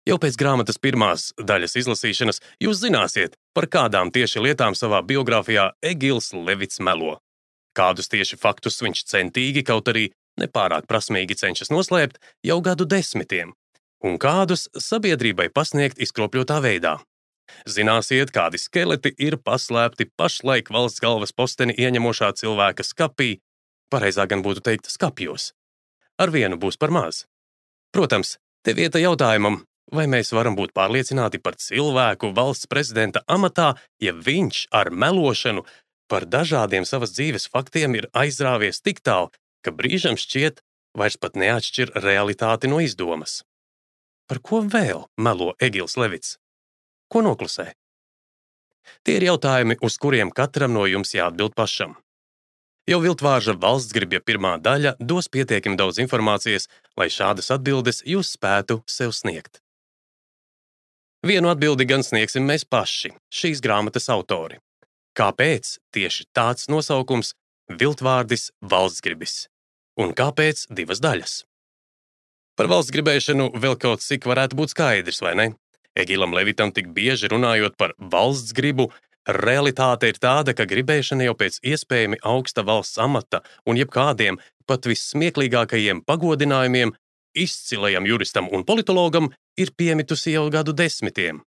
Jau pēc grāmatas pirmās daļas izlasīšanas jūs zināsiet, par kādām tieši lietām savā biogrāfijā Egils Levits melo. Kādus tieši faktus viņš centīgi, kaut arī nepārāk prasmīgi cenšas noslēpt jau gadu desmitiem, un kādus sabiedrībai pasniegt izkropļotā veidā. Zināsiet, kādi skeleti ir paslēpti pašlaik valsts galvas posteni ieņemošā cilvēka skapī, pareizāk gan būtu teikt skapjos. Ar vienu būs par maz. Protams, te vieta jautājumam, vai mēs varam būt pārliecināti par cilvēku valsts prezidenta amatā, ja viņš ar melošanu par dažādiem savas dzīves faktiem ir aizrāvies tik tālu, ka brīžam šķiet vairs pat neatšķir realitāti no izdomas. Par ko vēl melo Egils Levits? Ko noklusē? Tie ir jautājumi, uz kuriem katram no jums jāatbild pašam. Jau Viltvārža valstsgribja pirmā daļa dos pietiekami daudz informācijas, lai šādas atbildes jūs spētu sev sniegt. Vienu atbildi gan sniegsim mēs paši, šīs grāmatas autori. Kāpēc tieši tāds nosaukums Viltvārdis valstsgribis? Un kāpēc divas daļas? Par valstsgribēšanu vēl kaut cik varētu būt skaidrs, vai ne? Egilam Levitam tik bieži runājot par valstsgribu, realitāte ir tāda, ka gribēšana jau pēc iespējami augsta valsts amata un jebkādiem pat vissmieklīgākajiem pagodinājumiem izcilajam juristam un politologam ir piemitusi jau gadu desmitiem.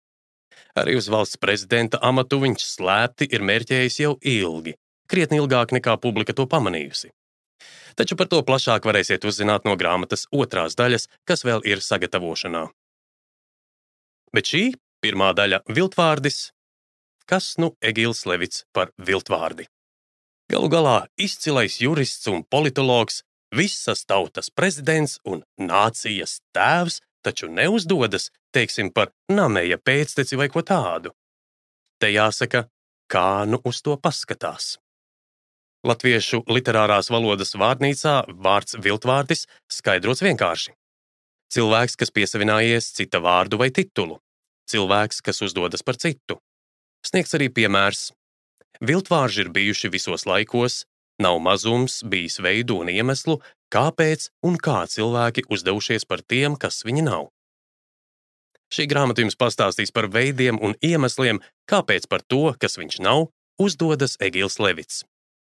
Arī uz valsts prezidenta amatu viņš slēpti ir mērķējis jau ilgi, krietni ilgāk nekā publika to pamanījusi. Taču par to plašāk varēsiet uzzināt no grāmatas otrās daļas, kas vēl ir sagatavošanā. Bet šī pirmā daļa Viltvārdis. Kas nu Egils Levits par Viltvārdi? Galu galā izcilais jurists un politologs, visas tautas prezidents un nācijas tēvs, taču neuzdodas, teiksim, par Nameja pēcteci vai ko tādu. Te jāsaka, kā nu uz to paskatās. Latviešu literārās valodas vārnīcā vārds Viltvārdis skaidrots vienkārši. Cilvēks, kas piesavinājies cita vārdu vai titulu. Cilvēks, kas uzdodas par citu. Sniegs arī piemērs. Viltvārži ir bijuši visos laikos, nav mazums bijis veidu un iemeslu, kāpēc un kā cilvēki uzdevušies par tiem, kas viņi nav. Šī grāmata jums pastāstīs par veidiem un iemesliem, kāpēc par to, kas viņš nav, uzdodas Egils Levits.